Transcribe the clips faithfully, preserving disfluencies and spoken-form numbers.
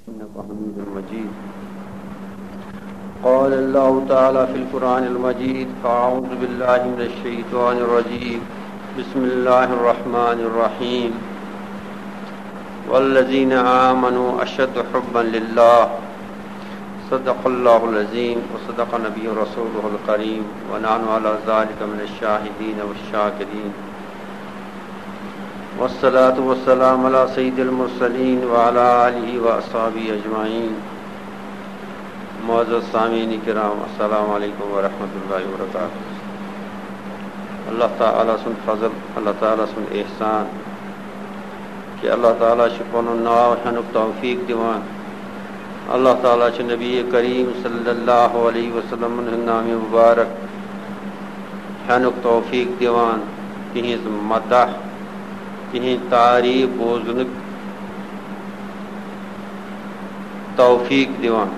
إنك حميد مجيد. قال الله تعالى في القرآن المجيد: أعوذ بالله من الشيطان الرجيم. بسم الله الرحمن الرحيم. والذين آمنوا أشد حبا لله. صدق الله العظيم وصدق نبي رسوله الكريم، ونحن على ذلك من الشاهدين والشاكرين. والصلاة والسلام على سيد المرسلين وعلى آله وأصحابه أجمعين. معزز سامعین کرام، السلام علیکم ورحمۃ اللہ وبرکاتہ۔ اللہ تعالیٰ سُنٛد فضل، اللہ تعالیٰ سُنٛد احسان کہ اللہ تعالیٰ چھُ پنُن ناو ہٮ۪نُک توفیق دِوان۔ اللہ تعالیٰ چھُ نبی کریم صلی اللہ علیہ وسلم ہُنٛد نام مبارک ہٮ۪نُک توفیق دِوان، تِہنٛز مدح، تِہنٛز تعریف بوزنُک توفیق دِوان۔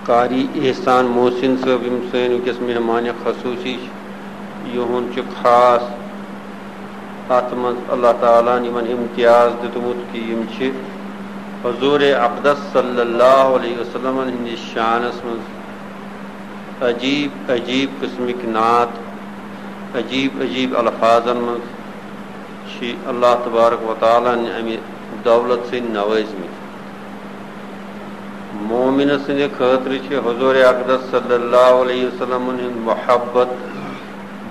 قاری احسان محسن صٲب، یِم سٲنۍ وٕنکیٚس مہمان خصوٗصی چھِ، یِہُنٛد چھُ خاص اَتھ منٛز اللہ تعالیٰ ہَن یِمَن امتیاز دیُتمُت کہِ یِم چھِ حضور اقدس صلی اللہ علیہ وسلم ہٕنٛدِس شانَس منٛز عجیٖب عجیٖب قٕسمٕکۍ نعت، عجیٖب عجیٖب الفاظن منٛز چھِ اللہ تبارک و تعالیٰ ہَن اَمہِ دولت سۭتۍ نوٲزمٕتۍ۔ مومنہٕ سٕنٛدِ خٲطرٕ چھِ حضور اقدس صلی اللہ علیہ وسلم ہُنٛد محبت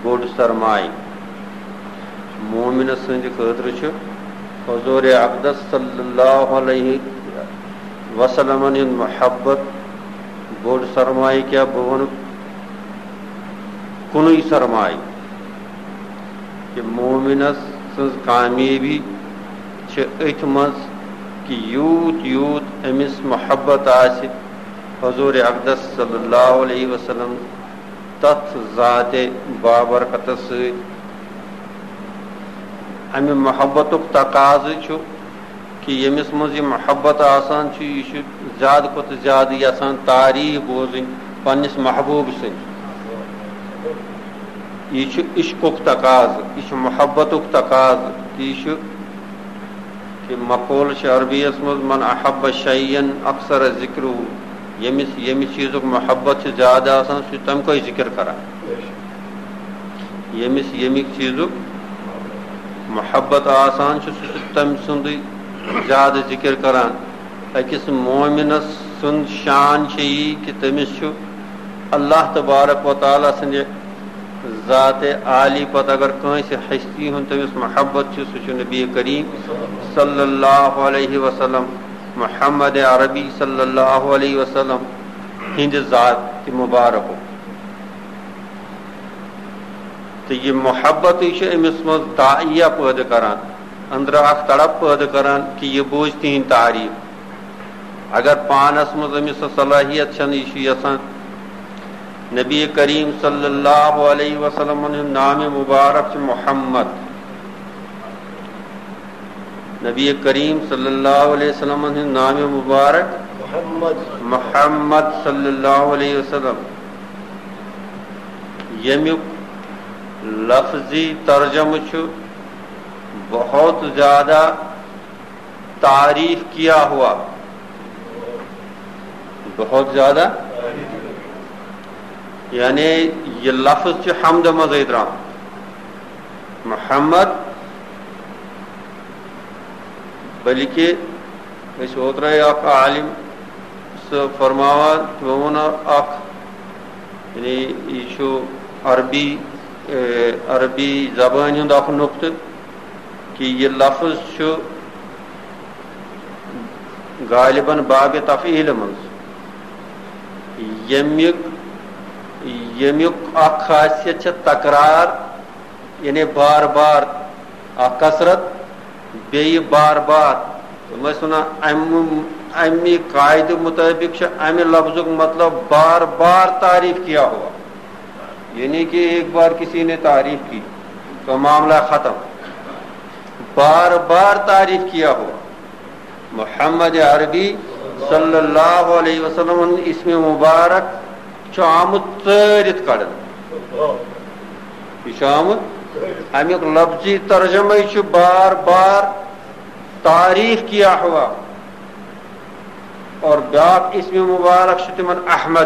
بوٚڑ سرمایہِ۔ مومنہٕ سٕنٛدِ خٲطرٕ چھُ حضور اقدس صلی اللہ علیہ وسلم ہُنٛد محبت بوٚڑ سرمایہِ۔ کیٛاہ بہٕ وَنہٕ کُنُے سرمایہِ؟ کہِ مومنس سٕنٛز کامیٲبی چھِ أتھۍ منٛز کہِ یوٗت یوٗت أمِس محبت آسہِ حضور اقدس صلی اللہ علیہ وسلم، تتھ ذاتِ بابرکتس سۭتۍ۔ امہِ محبتُک تقاضہٕ چھُ کہِ ییٚمِس منٛز یہِ محبت آسان چھُ، یہِ چھُ زیادٕ کھۄتہٕ زیادٕ یژھان تعریٖف بوزٕنۍ پننِس محبوٗب سٕنٛدۍ۔ یہِ چھُ عشقُک تقاضہٕ، یہِ چھُ محبتُک تقاضہٕ، تہٕ یہِ چھُ، کہِ مقولہٕ چھُ عربی یس منٛز، "من احب شیئا اکثر ذکرہ"، ییٚمِس ییٚمہِ چیٖزُک محبت چھُ زیادٕ آسان، سُہ چھُ تَمہِ کھۄتہٕ ذِکِر کران۔ ییٚمِس ییٚمہِ چیٖزُک محبت آسان چھُ، سُہ چھُ تٔمۍ سُنٛدُے زیادٕ ذِکِر کران۔ أکِس مومنَس سُنٛد شان چھُ یی کہِ تٔمِس چھُ اللہ تبارک و تعالیٰ سٕنٛدِ ذاتِ عالی پتہٕ اگر کٲنٛسہِ ہستی ہُنٛد تٔمِس محبت چھُ، سُہ چھُ نبی کریم صلی اللہ علیہ وسلم، محمد عربی صلی اللہ علیہ وسلم ہٕنٛدِ ذاتِ مبارکُک۔ تہٕ یہِ محبتٕے چھُ أمِس منٛز داعیہ پٲدٕ کران، أنٛدرٕ اکھ تڑپ پٲدٕ کران کہِ یہِ بوزِ تِہنٛدۍ تعریٖف۔ اگر پانس منٛز أمِس سۄ صلٲحیت چھنہٕ، یہِ چھُ یژھان۔ نبی کریم صلی اللہ علیہ وسلم ہُنٛد نام مبارک چھُ محمد۔ نبی کریم صلی اللہ علیہ وسلم ہُنٛد نام مبارک محمد۔ محمد صلی اللہ علیہ وسلم، ییٚمیُک لفظی ترجمہٕ چھُ بہت زیادہ تعریف کیا ہوا۔ بہت زیادہ، یعنی یہِ لفظ چھُ حمد منٛزٕے درٛامُت۔ محمد، بلکہِ أسۍ اوترَے اکھ عالم سُہ فرماوان، تِمو ووٚن اکھ، یعنی یہِ چھُ عربی، اے، عربی زبٲنۍ ہُنٛد اکھ نُقطہٕ کہِ یہِ لفظ چھُ غالباً باب تفعیل منٛز، ییٚمیُک، ییٚمیُک اکھ خاصیت چھِ تکرار، یعنی بار بار اکھ کثرت، بیٚیہِ بار بار۔ تِم ٲسۍ وَنان، اَمہِ، اَمہِ قاعدٕ مُطٲبِق چھُ اَمہِ لفظُک مطلب بار بار تعریف کیا ہوا، یعنی کہ ایک بار کسی نے تعریف کی تو معاملہ ختم، بار بار تعریف کیا ہوا۔ محمد عربی صلی اللہ علیہ وسلم ہُنٛد اسم مبارک چھُ آمُت ژٲرِتھ کڑنہٕ۔ یہِ چھُ آمُت اَمیُک لفظی ترجمے چھُ بار بار تعریف کیا ہوا۔ اور بیاکھ اسم مبارک چھُ تِمن احمد۔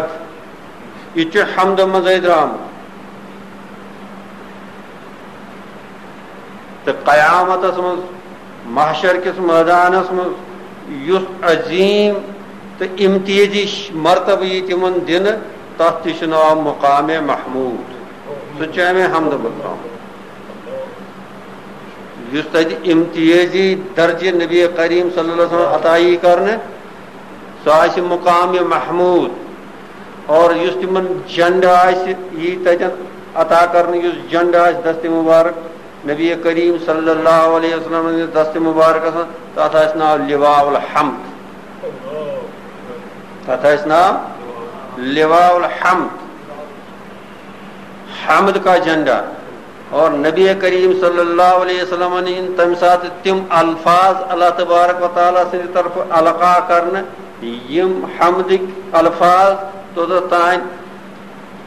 یہِ تہِ چھُ حمد منٛزے درٛامُت۔ تہٕ قیامتس منٛز، محشر کِس مٲدانس منٛز، یُس عظیٖم تہٕ امتیازی مرتبہٕ یی تِمن دِنہٕ، تتھ تہِ چھُ ناو مقام محمود۔ سُہ تہِ چھُ امے حمدٕ منٛز درٛامُت۔ یُس تتہِ امتیازی درجہٕ نبی کریم صلی اللہ علیہ وسلم عطا یی کرنہٕ، سُہ آسہِ مقام محمود۔ اور یُس تِمن جنڈٕ آسہِ، یی تتٮ۪ن عطا کرنہٕ، یُس جنڈٕ آسہِ دستِ مبارک، نبی کریم صلی اللہ علیہ وسلم ہٕنٛدِس دستِ مبارکس منٛز، تتھ آسہِ ناو لواء الحمد۔ تتھ آسہِ ناو لواء الحمد، حمد کا جھنڈا۔ اور نبی کریم صلی اللہ علیہ وسلم ہٕنٛدۍ تمہِ ساتہٕ تِم الفاظ اللہ تبارک و تعالیٰ سٕنٛدِ طرفہٕ القا کرنہٕ، یِم حمدٕکۍ الفاظ توٚتتھ تام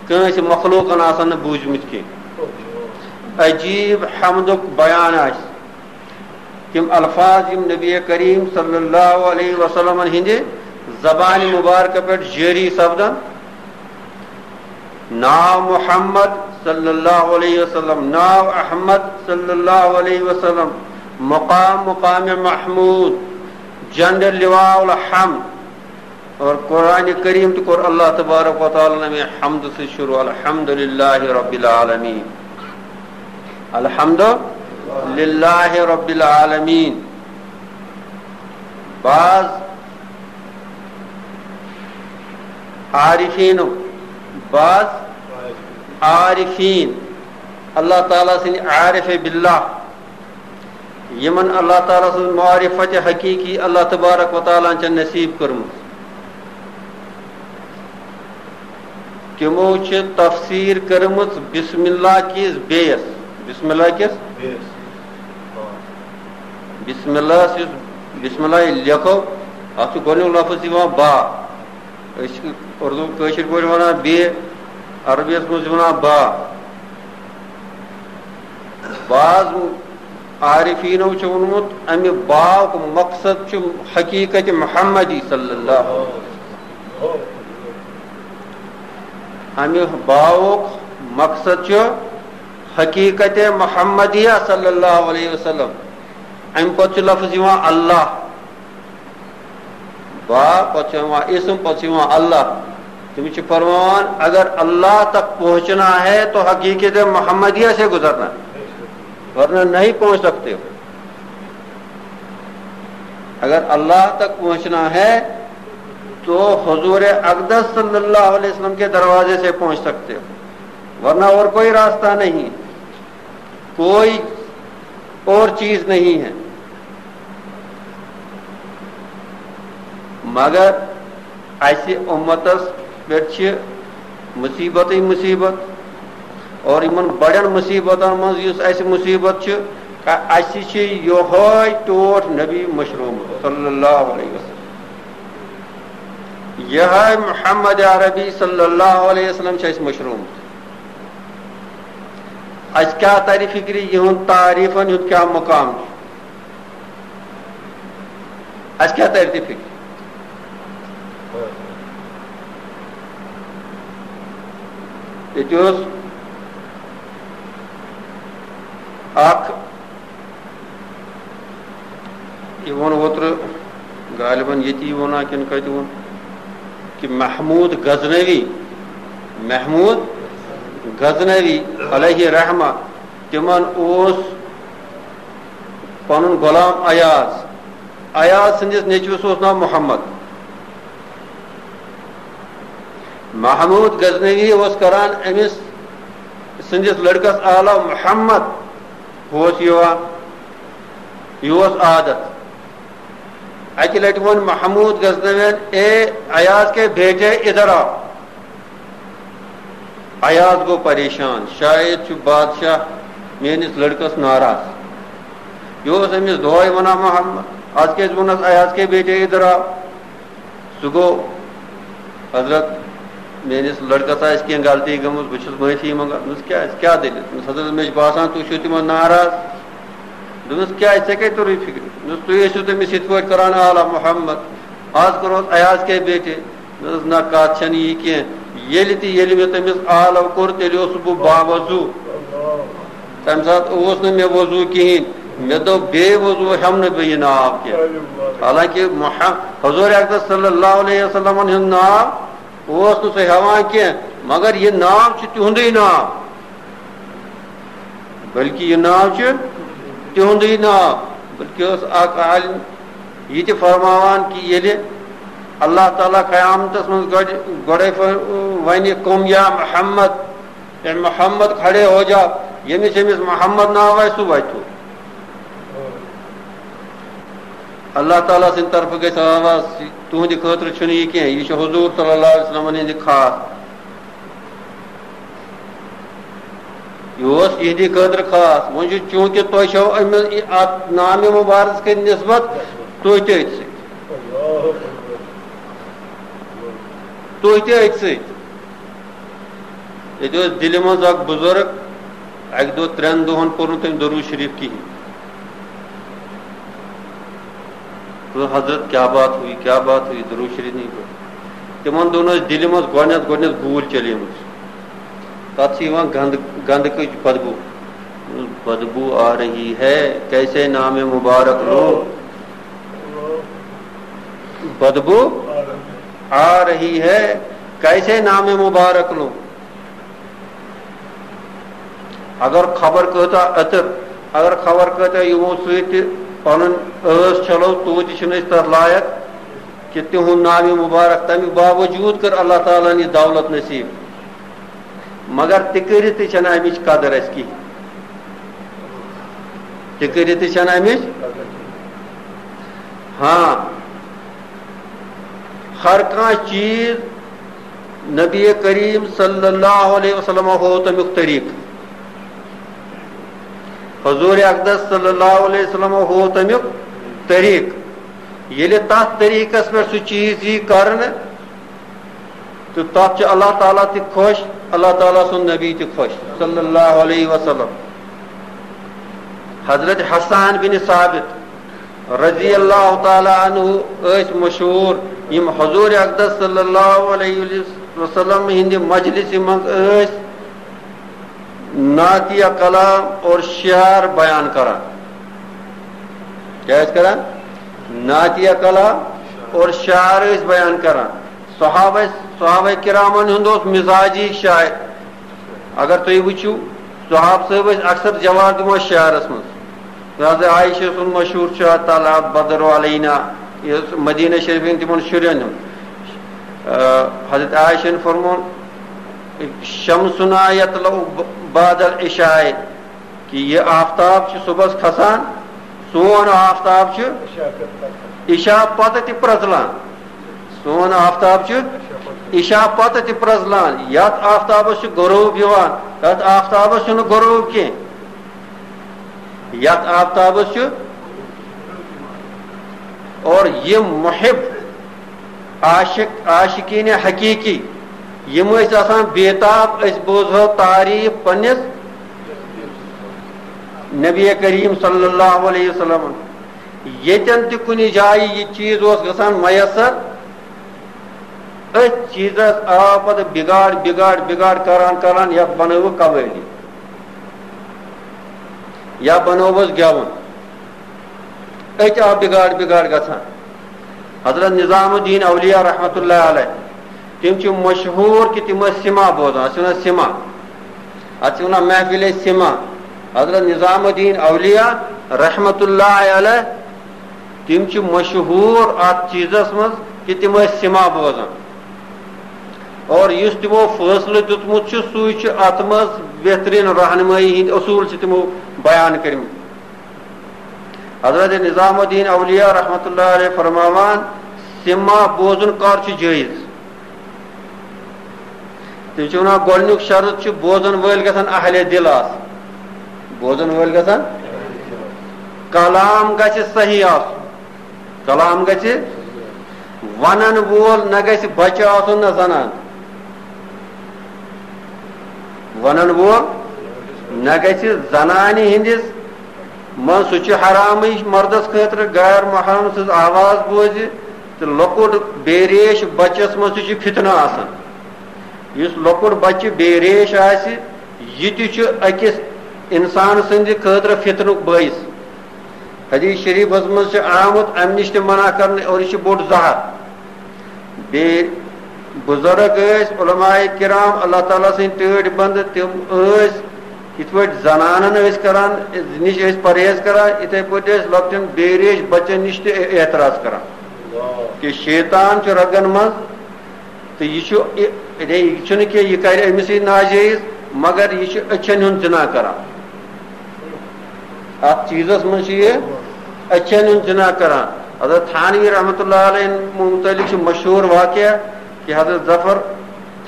کٲنٛسہِ مخلوقن آسن نہٕ بوٗزمٕتۍ کینٛہہ۔ عجیٖب حمدُک بیان آسہِ۔ تِم الفاظ یِم نبی کریم صلی اللہ علیہ وسلم ہٕنٛدِ زبانہِ مبارکہ پٮ۪ٹھ جٲری سپدن، ناو محمد صلی اللہ علیہ وسلم، ناو احمد صلی اللہ علیہ وسلم، مقام مقام محمود، جنڈ لواء الحمد۔ اور قرآن کریم تہِ کوٚر اللہ تبارک و تعالیٰ نَمے حمد سے شروع، الحمد للہ رب العالمین، الحمد للہ رب العالمین۔ بعض عارفین، بعض عارفین، اللہ تعالیٰ سٕنٛدۍ عارف باللہ، یِمن اللہ تعالیٰ سٕنٛز معرفت حقیقی اللہ تبارک و تعالیٰ ہن چھےٚ نصیب کٔرمٕژ، تِمو چھِ تفسیر کٔرمٕژ بسم اللہ کِس بیٚیس۔ بسم اللہ کِس؟ بیٚیس۔ بسم اللہ یُس بسم اللہ لیکھو، اتھ چھُ گۄڈٕنیُک لفظ یِوان با۔ أسۍ چھِ اردو کٲشِر پٲٹھۍ ونان بے، عربی یس منٛز چھِ ونان با۔ بعض عارفینو چھُ ووٚنمُت، امہِ باؤک مقصد چھُ حقیقت محمدی صلی اللہ علیہ وسلم۔ امہِ باؤک مقصد چھُ حقیقت محمدیہ صلی اللہ علیہ وسلم۔ امہِ پتہٕ چھُ لفظ یِوان اللہ۔ با، پتہٕ چھُ یِوان اسم، پتہٕ چھُ یِوان اللہ۔ تِم چھِ فرماوان، اگر اللہ تک پہنچنا ہے تو حقیقت محمدیہ سے گزرنا ہے، ورنہ نہیں پہنچ سکتے ہو۔ اگر اللہ تک پہنچنا ہے تو حضور اقدس صلی اللہ علیہ وسلم کے دروازے سے پہنچ سکتے ہو، ورنہ اور کوئی راستہ نہیں، کوئی اور چیز نہیں ہے۔ مگر اسہِ اُمتس پٮ۪ٹھ چھِ مُصیبتٕے مُصیبت، اور یِمن بڑٮ۪ن مُصیبتن منٛز یُس اسہِ مُصیبت چھِ، کہ اسہِ چھِ یِہوے ٹوٹھ نبی مٔشرومُت صلی اللہ علیہ وسلم، یِہوے محمد عربی صلی اللہ علیہ وسلم چھُ اسہِ مٔشرومُت۔ اسہِ کیٛاہ ترِ فکرِ یِہُنٛد تعریفن ہُنٛد کیٛاہ مقام چھُ؟ اسہِ کیٛاہ ترِ تہِ فکرِ؟ ییٚتہِ اوس اکھ، یہِ ووٚن اوترٕ غالباً ییٚتی ووٚنا کِنہٕ کتہِ ووٚن، کہِ محمود غزنوی، محمود غزنوی علیہ رحمہ، تِمن اوس پنُن غلام ایاز۔ ایاز سٕنٛدِس نیٚچوِس اوس ناو محمد۔ محمود غزنوی اوس کران أمِس سٕنٛدِس لڑکس آلو محمد، ہُہ اوس یِوان، یہِ اوس عادت۔ اکہِ لٹہِ ووٚن محمود غزنوین، "اے ایاز کے بیٹے، ادھر آؤ۔" ایاز گوٚو پریشان، شاید چھُ بادشاہ میٲنِس لڑکس ناراض۔ یہِ اوس أمِس دۄہے ونان محمد، از کیازِ ووٚنُس ایاز کے بیٹے ادھر آؤ؟ سُہ گوٚو حضرت میٲنِس لڑکس آسہِ کینٛہہ غلطی گٔمٕژ، بہٕ چھُس معٲفی منٛگان۔ دوٚپمَس، کیٛازِ؟ کیٛاہ دٔلیٖل؟ دوٚپمَس، حضرت، مےٚ چھُ باسان، تُہۍ چھِو تِمن ناراض۔ دوٚپمَس، کیٛازِ؟ ژےٚ کَتہِ توٚرُے فِکرِ؟ دوٚپمَس، تُہۍ ٲسِو تٔمِس یِتھ پٲٹھۍ کران، آلا محمد، آز کَرو أسۍ ایاز کے بیٹے۔ دوٚپمَس، نہ، کَتھ چھَنہٕ یہِ کینٛہہ۔ ییٚلہِ تہِ، ییٚلہِ مےٚ تٔمِس آلو کوٚر، تیٚلہِ اوسُس بہٕ باوضوٗ۔ تَمہِ ساتہٕ اوس نہٕ مےٚ وضوٗ کِہیٖنۍ۔ مےٚ دوٚپ، بے وضوٗ ہٮ۪مہٕ نہٕ بہٕ یہِ ناو کینٛہہ۔ حالانکہِ محمد، حضور اقدس صلی اللہ علیہ وسلمن ہُنٛد ناو اوس نہٕ سُہ ہٮ۪وان کینٛہہ، مگر یہِ ناو چھُ تِہُنٛدُے ناو، بلکہِ یہِ ناو چھُ تِہُنٛدُے ناو۔ بلکہِ اوس اکھ عالم یہِ تہِ فرماوان کہِ ییٚلہِ اللہ تعالیٰ قیامتس منٛز گۄڈٕ، گۄڈے ف-، ونہِ، "قم یا محمد"، اے محمد کھڑے ہو جا، ییٚمِس ییٚمِس محمد ناو آسہِ، سُہ وَتھِ۔ اللہ تعالیٰ سٕنٛدِ طرفہٕ گژھِ آواز، تُہٕنٛدِ خٲطرٕ چھُنہٕ یہِ کینٛہہ، یہِ چھُ حضور صلی اللہ علیہ وسلمن ہٕنٛدِ خاص۔ یہِ اوس یِہنٛدِ خٲطرٕ خاص۔ وۄنۍ چھُ، چوٗنٛکہِ تۄہہِ چھَو أمِس یہِ، اَتھ نامِ مُبارک کِس نسبت، تُہۍ تہِ أتھۍ سۭتۍ۔ تُہۍ تہِ أتھۍ سۭتۍ۔ ییٚتہِ اوس دِلہِ منٛز اکھ بُزرگ، اَکہِ دۄہ ترٛٮ۪ن دۄہَن پوٚر نہٕ تٔمۍ دروٗد شریٖف کِہیٖنۍ۔ دوٚپُن، "حضرت، کیا بات ہوئی، کیا بات ہوئی، درود شریف نہیں پڑھا؟" تِمن دۄہن ٲس دِلہِ منٛز گۄڈٕنٮ۪تھ، گۄڈٕنٮ۪تھ گوٗلۍ چلیمٕژ۔ تَتھ چھِ یِوان گنٛد-، گنٛدکٕچ بدبو۔ بدبو آ رہی ہے، کیسے نام مبارک لو؟ بدبو آ رہی ہے، کیسے نام مبارک لو؟ اگر خبر کۭژاہ عطر، اگر خبر کۭژاہ یِمو سۭتۍ تہِ پنُن ٲس چھلو، توتہِ چھِنہٕ أسۍ تتھ لایق کہِ تِہُنٛد ناوِ مبارک۔ تَمہِ باوجوٗد کٔر اللہ تعالیٰ ہن یہِ دولت نصیب، مگر تہِ کٔرِتھ تہِ چھَنہٕ اَمِچ قدر اَسہِ کِہیٖنۍ۔ تہِ کٔرِتھ تہِ چھَنہٕ اَمِچ۔ ہاں، ہر کانٛہہ چیٖز نبی کریم صلی اللہ علیہ وسلم ہوو تَمیُک طریٖقہٕ۔ حضور اقدس صلی اللہ علیہ وسلم ہوو تَمیُک طریٖقہٕ۔ ییٚلہِ تَتھ طریٖقس پٮ۪ٹھ سُہ چیٖز یی کرنہٕ، تہٕ تَتھ چھُ اللہ تعالیٰ تہِ خۄش، اللہ تعالیٰ سُنٛد نبی تہِ خۄش صلی اللہ علیہ وسلم۔ حضرت حسان بن ثابت رضی اللہ تعالیٰ عنہ ٲسۍ مشہوٗر، یِم حضور اقدس صلی اللہ علیہ وسلم ہٕنٛدِ مجلسہِ منٛز ٲسۍ نعتیہ کلام اور شعر بیان کران۔ کیٛاہ ٲسۍ کران؟ نعتیہ کلام اور شعر ٲسۍ بیان کران۔ صحابہ، صحابہ کرامن ہُنٛد اوس مزاجی شاعر۔ اگر تُہۍ وٕچھِو، صحابہٕ صٲب ٲسۍ اکثر جواب دِوان شعرس منٛز۔ لہذا عائشہ سُنٛد مشہوٗر چھُ، "طلع بدر علینا"، یہِ اوس مدینہ شریف ہٕنٛدۍ تِمن شُرٮ۪ن ہُنٛد۔ آ، حضرت عائشہ ہن فرموون، "شمسنا یطلع بعد العشاء"، کہِ یہِ آفتاب چھُ صُبحس کھسان، سون آفتاب چھُ عشاء پتہٕ تہِ پرٛزلان۔ سون آفتاب چھُ عشاء پتہٕ تہِ پرٛزلان۔ یتھ آفتابس چھُ غروب یِوان، تتھ آفتابس چھُنہٕ غروب کینٛہہ۔ یتھ آفتابس چھُ، اور یِم محب، عاشق، عاشقین حقیقی، یِم ٲسۍ آسان بے تاب، أسۍ بوزہو تعریف پننِس نبی کریم صلی اللہ علیہ وسلم۔ ییٚتٮ۪ن تہِ کُنہِ جایہِ یہِ چیٖز اوس گژھان میسر، أتھۍ چیٖزس آو پتہٕ بِگاڑ، بِگاڑ، بِگاڑ کران کران، یتھ بنٲوٕکھ قوٲلی، یا بنووُس گٮ۪وُن۔ أتھۍ آو بِگاڑ، بِگاڑ گژھان۔ حضرت نظام الدین اولیاء رحمتہ اللہ علیہ، تِم چھِ مشہوٗر کہِ تِم ٲسۍ سِما بوزان، اَتھ چھِ وَنان سِما، اَتھ چھِ وَنان محفلِ سِما۔ حضرت نظام الدین اولیاء رحمتہ اللہ علیہ، تِم چھِ مشہوٗر اَتھ چیٖزس منٛز کہِ تِم ٲسۍ سِما بوزان۔ اور یُس تِمو فٲصلہٕ دیُتمُت چھُ، سُے چھُ اَتھ منٛز بہتریٖن رہنمٲیی ہٕنٛدۍ اصوٗل چھِ تِمو بیان کٔرمٕتۍ۔ حضرت نظام الدین اولیاء رحمتہ اللہ علیہ فرماوان، سِما بوزُن کر چھُ جٲیِز؟ تِم چھِ وَنان، گۄڈٕنیُک شرط چھُ، بوزَن وٲلۍ گژھن اہلِ دِل آسٕنۍ۔ بوزَن وٲلۍ گژھن، کلام گژھِ صحیح آسُن۔ کلام گژھِ، وَنَن وول نہ گژھِ بچہٕ آسُن نہ زنان۔ ونن وول نہ گژھِ زنانہِ ہٕنٛدِس منٛز، سُہ چھُ حرامٕے مردس خٲطرٕ غیر محرم سٕنٛز آواز بوزِ، تہٕ لۄکُٹ بے ریش بچس منٛز تہِ چھُ فتنہٕ آسان۔ یُس لۄکُٹ بچہِ بے ریش آسہِ، یہِ تہِ چھُ أکِس انسان سٕنٛدِ خٲطرٕ فتنُک بٲعث۔ حدیث شریفس منٛز چھُ آمُت امہِ نِش تہِ منع کرنہٕ، اور یہِ چھُ بوٚڑ زہر۔ بیٚیہِ بزرگ ٲسۍ، علماء کرام، اللہ تعالیٰ سٕنٛدۍ ٹٲٹھۍ بندٕ، تِم ٲسۍ یِتھ پٲٹھۍ زنانن ٲسۍ کران، نِش ٲسۍ پرہیز کران، یِتھے پٲٹھۍ ٲسۍ لۄکٹٮ۪ن بے ریش بچن نِش تہِ اعتراض کران کہ شیطان چھُ رگن منٛز، تہٕ یہِ چھُ، یہِ، یہِ چھُنہٕ کینٛہہ، یہِ کرِ أمِسٕے ناجٲیز، مگر یہِ چھُ أچھن ہُنٛد زنا کران۔ اتھ چیٖزس منٛز چھُ یہِ أچھن ہُنٛد زنا کران۔ حضرت تھانوی رحمتہ اللہ علیہ متعلق چھُ مشہوٗر واقعہ کہ حضرت ظفر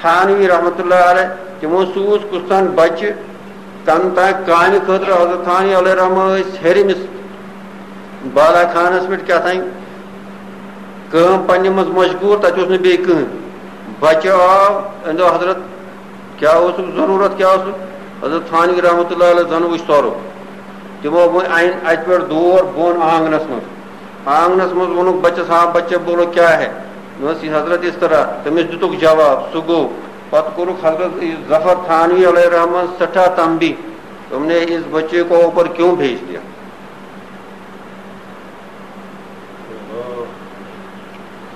تھانوی رحمتہ اللہ علیہ، تِمو سوٗز کُستام بچہِ کن تام کامہِ خٲطرٕ۔ حضرت تھانوی علیہ رحمہ ٲسۍ ہیٚرمِس بالا خانس پٮ۪ٹھ کیٛاہ تام کٲم پننہِ منٛز مشغوٗل، تتہِ اوس نہٕ بیٚیہِ کٕہٕنۍ۔ بچہِ آو، أمۍ دوٚپ، "حضرت، کیٛاہ اوسُکھ ضروٗرت، کیٛاہ اوسُکھ؟" حضرت تھانوی رحمتہ اللہ علیہ زن وٕچھ سۄرُپھ۔ تِمو وۄنۍ اَنہِ اَتہِ پٮ۪ٹھ دور بۄن آنٛگنَس منٛز۔ آنٛگنَس منٛز ووٚنُکھ بَچَس، "ہاں بچہ، بولو کیا ہے؟" دوٚپنَس، "یہ حضرت اس طرح۔" تٔمِس دِتُکھ جواب، سُہ گوٚو۔ پَتہٕ کوٚرُکھ حضرت ظفر تھانوی علیہ الرحمن سٮ۪ٹھاہ تنبیہ، "تم نے اس بچے کو اوپر کیوں بھیج دیا؟"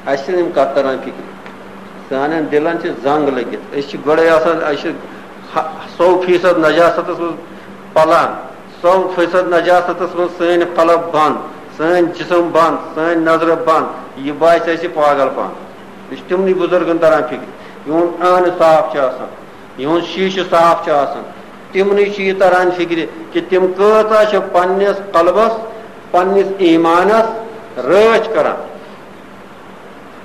اَسہِ چھِنہٕ یِم کَتھ تَران فِکرِ۔ سانٮ۪ن دِلَن چھِ زنٛگ لٔگِتھ۔ أسۍ چھِ گۄڈَے آسان، أسۍ چھِ ہَ-، سَو فیٖصد نجاستَس منٛز پَلان، سَو فیٖصد نجاستَس منٛز سٲنۍ قلب بنٛد، سٲنۍ جسم بنٛد، سٲنۍ نظرٕ بنٛد۔ یہِ باسہِ اَسہِ پاگل پن۔ یہِ چھِ تِمنٕے بُزرگَن تَران فِکرِ۔ یِہُنٛد عٲنہٕ صاف چھُ آسان، یِہُنٛد شیٖشہٕ صاف چھُ آسان۔ تِمنٕے چھُ یہِ تَران فِکرِ کہِ تِم کۭژاہ چھِ پنٛنِس قلبَس، پنٛنِس ایٖمانَس رٲچھ کَران۔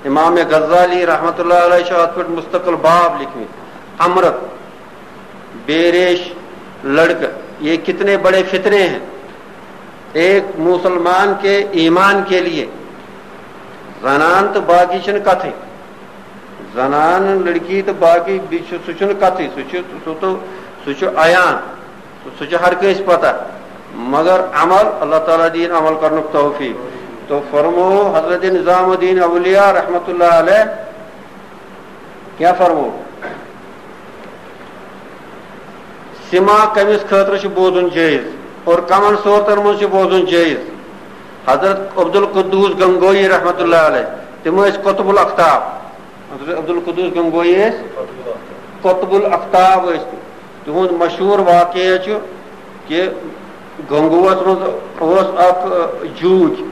امام غزالی رحمتہ اللہ علیہ چھُ اتھ پٮ۪ٹھ مستقل باب لیکھمٕتۍ، امرت، بے ریش لڑکہٕ، یہ کتنے بڑے فتنے ہیں۔ ایک مسلمان کے ایمان کے لیے زنان تہٕ باقی چھِنہٕ کتھٕے۔ زنان، لڑکی تہٕ باقی بیٚیہِ چھُ، سُہ چھُنہٕ کتھٕے، سُہ چھُ، سُہ تہٕ، سُہ چھُ عیان۔ سُہ چھُ ہر کٲنٛسہِ پتہ، مگر عمل، اللہ تعالیٰ دِیِن عمل کرنُک توفیق۔ تو فرمو حضرت نظام الدین اولیاء رحمتہ اللہ علیہ کیٛاہ فرمو؟ سما کٔمِس خٲطرٕ چھُ بوزُن جٲیِز اور کمن صورتن منٛز چھُ بوزُن جٲیِز؟ حضرت عبدالقدوس گنگوئی رحمتہ اللہ علیہ، تِم ٲسۍ قطب الاقطاب۔ حضرت عبدالقدوس گنگوئی ٲسۍ قطب الاقطاب ٲسۍ تِم۔ تِہُنٛد مشہوٗر واقعہٕ چھُ کہِ گنگوہس منٛز اوس اکھ، ٲ، جوٗج۔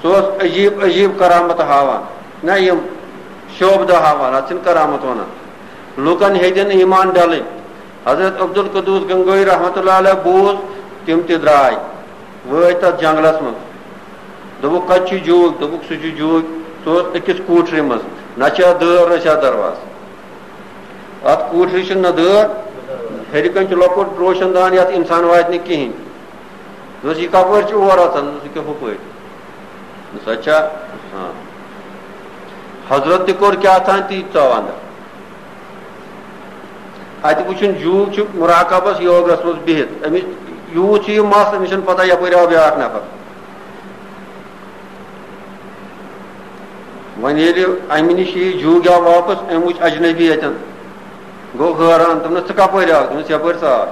سُہ اوس عجیٖب عجیٖب کرامت ہاوان، نہ یِم شوبدٕ ہاوان، اتھ چھِنہٕ کرامت ونان۔ لوٗکن ہیٚتِن ایمان ڈلٕنۍ۔ حضرت عبدالقدوس گنگوئی رحمتہ اللہ علیہ بوٗز، تِم تہِ درٛاے۔ وٲتۍ تَتھ جنٛگلَس منٛز۔ دوٚپُکھ، "کَتہِ چھُ جوٗگ؟" دوٚپُکھ، "سُہ چھُ جوٗگ، سُہ اوس أکِس کوٗٹھرِ منٛز، نہ چھِ اَتھ دٲر، نہ چھِ اَتھ دروازٕ۔ اَتھ کوٗٹھرِ چھِنہٕ نہ دٲر، ہیٚرِ کَنہِ چھُ لۄکُٹ روشن دان، یَتھ اِنسان واتہِ نہٕ کِہیٖنۍ۔" دوٚپُس، "یہِ کَپٲرۍ چھُ اور اَژان؟" دوٚپُس، "یہِ کیٛاہ ہُپٲرۍ؟" دوٚپُس، "اچھا، ہاں۔" حضرت تہِ کوٚر کیٛاہ تام تی ژاو اَندَر۔ اَتہِ وٕچھُن، جوٗگ چھُ مراقبس یوگس منٛز بِہِتھ۔ أمِس یوٗت چھُ یہِ مَس، أمِس چھَنہٕ پَتہ یَپٲرۍ آو بیٛاکھ نفر۔ وۄنۍ ییٚلہِ اَمہِ نِش یہِ جوٗگ آو واپس، أمۍ وٕچھ اجنبی اَتٮ۪ن، گوٚو حٲران، دوٚپنَس، "ژٕ کَپٲرۍ آکھ؟" دوٚپنَس، "یَپٲرۍ ژاو۔"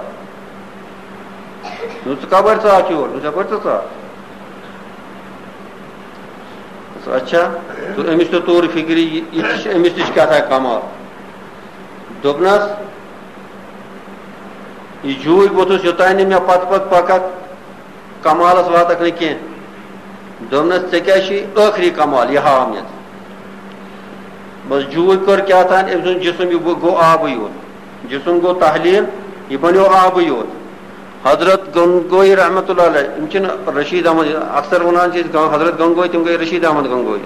دوٚپُن، "ژٕ کَپٲرۍ ژاو یور؟" دوٚپُن، "یَپٲرۍ ژٕ ژاو۔" دوٚپُس، "اچھا۔" تہٕ أمِس تہِ توٚر فِکرِ، یہِ، یہِ تہِ چھِ، أمِس تہِ چھِ کیٛاہ تام کمال۔ دوٚپنَس، "یہِ جوٗرۍ بوٚتھُس، یوٚتام نہٕ مےٚ پتہٕ پتہٕ پککھ، کمالس واتکھ نہٕ کینٛہہ۔" دوٚپنَس، "ژےٚ کیٛاہ چھُے ٲخری کمال، یہِ ہاو مےٚ ژٕ۔" بس جوٗرۍ کٔر کیٛاہ تام، أمۍ سُنٛد جسم یہِ گوٚو آبٕے یوت۔ جسم گوٚو تحلیل، یہِ بنیو آبٕے یوت۔ حضرت گنگوئی رحمتہ اللہ علیہ، یِم چھِنہٕ رشید احمد، اکثر وَنان چھِ أسۍ گن-، حضرت گنگوئی، تِم گٔے رشید احمد گنگوئی۔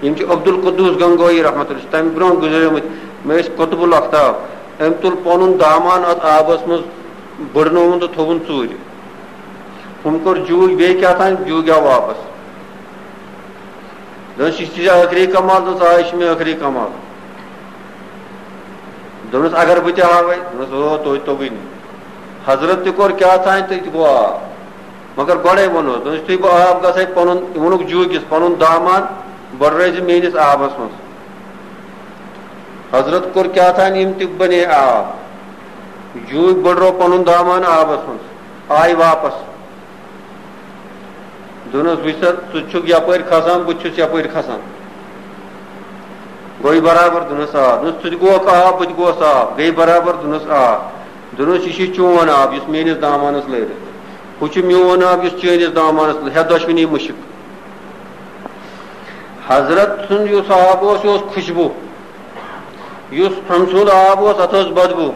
یِم چھِ عبدالقدوس گنگوئی رحمتہ اللہ، تَمہِ برونٛہہ گُزریمٕتۍ۔ مےٚ ٲسۍ قطب الاقطاب۔ أمۍ تُل پَنُن دامان اَتھ آبَس منٛز، بٔڑنووُن تہٕ تھوٚوُن ژوٗرِ۔ ہُم کوٚر جوٗگ بیٚیہِ کیٛاہ تام، جوٗگ آو واپس۔ دوٚپنَس، "یہِ چھِ ژےٚ ٲخری کمال؟" دوٚپنَس، "آ، یہِ چھُ مےٚ ٲخری کمال۔" دوٚپنَس، "اگر بہٕ تہِ ہاوَے؟" دوٚپنَس، "او، توتہِ توٚگُے نہٕ۔" حضرت تہِ کوٚر کیٛاہ تام تہٕ تہِ گوٚو آب۔ مگر گۄڈَے ووٚنُس، دوٚپنَس، "یُتھُے بہٕ آب گژھَے پَنُن، یہِ ووٚنُکھ جوٗکِس، پَنُن دامان بٔڑرٲوۍ زِ میٛٲنِس آبَس منٛز۔" حضرت کوٚر کیٛاہ تام، یِم تہِ بَنے آب۔ جوٗکۍ بٔڑرٲو پَنُن دامان آبَس منٛز، آے واپَس۔ دوٚپنَس، "وٕچھ سا، ژٕ چھُکھ یَپٲرۍ کھسان، بہٕ تہِ چھُس یَپٲرۍ کھسان۔ گوٚو یہِ برابر؟" دوٚپنَس، "آ۔" دوٚپنَس، "ژٕ تہِ گوکھ آب، بہٕ تہِ گوس آب، گٔے برابر؟" دوٚپنَس، "آ۔" دوٚپنَس، "یہِ چھُ چون آب، یُس میٛٲنِس دامانَس لٲرِتھ۔ ہُہ چھُ میون آب، یُس چٲنِس دامانَس لٲرِتھ۔ ہیٚتھ دۄشوٕنی مُشِک۔" حضرت سُنٛد یُس آب اوس، یہِ اوس خوشبو۔ یُس أمۍ سُنٛد آب اوس، اَتھ ٲس بدبو۔